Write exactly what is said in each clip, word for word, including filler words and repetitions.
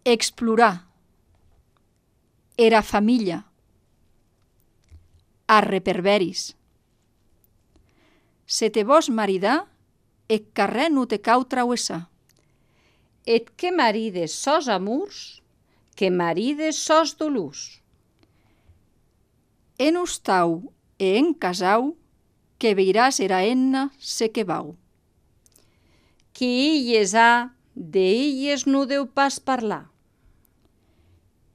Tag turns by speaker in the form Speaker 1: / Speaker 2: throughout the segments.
Speaker 1: explorar, era família, arreperveris. Se te vos maridar, eth carrèr non te cau trauessar.
Speaker 2: Et que marides sòs amors, que marides sòs dolors.
Speaker 1: En ostau e en casau, que veiràs era enna se que vau.
Speaker 2: Qui illes ha, de illes non deu pas parlar.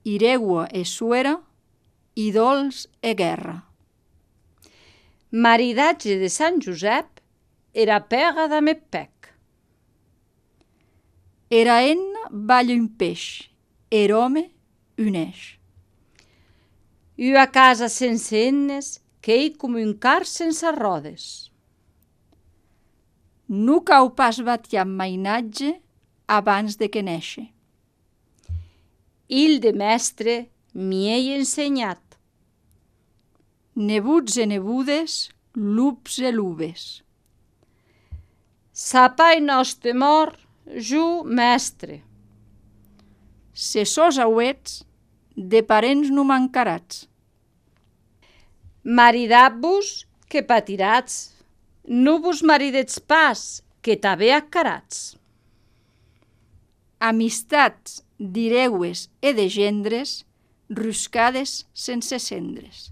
Speaker 1: Iregua e suera, i dols e guerra.
Speaker 2: Maridatge de Sant Josep, era pega damb pec.
Speaker 1: Era enna balla un peix, er home un eix.
Speaker 2: Ua casa sense ennes, qu'ei com un car sense rodes.
Speaker 1: Non cau pas batiar mainatge abans de que néixer.
Speaker 2: Il de mestre m'hi ei ensenhat.
Speaker 1: Nebuts e nebudes, lups e lubes.
Speaker 2: Sa pai nòste mor, jo mestre.
Speaker 1: Se sos auets, de parents non mancarats.
Speaker 2: Maridat-vos, que patiratz. Non vos maridetz pas, que tanben acarats.
Speaker 1: Amistats d'ireues e de gendres, ruscades sense cendres.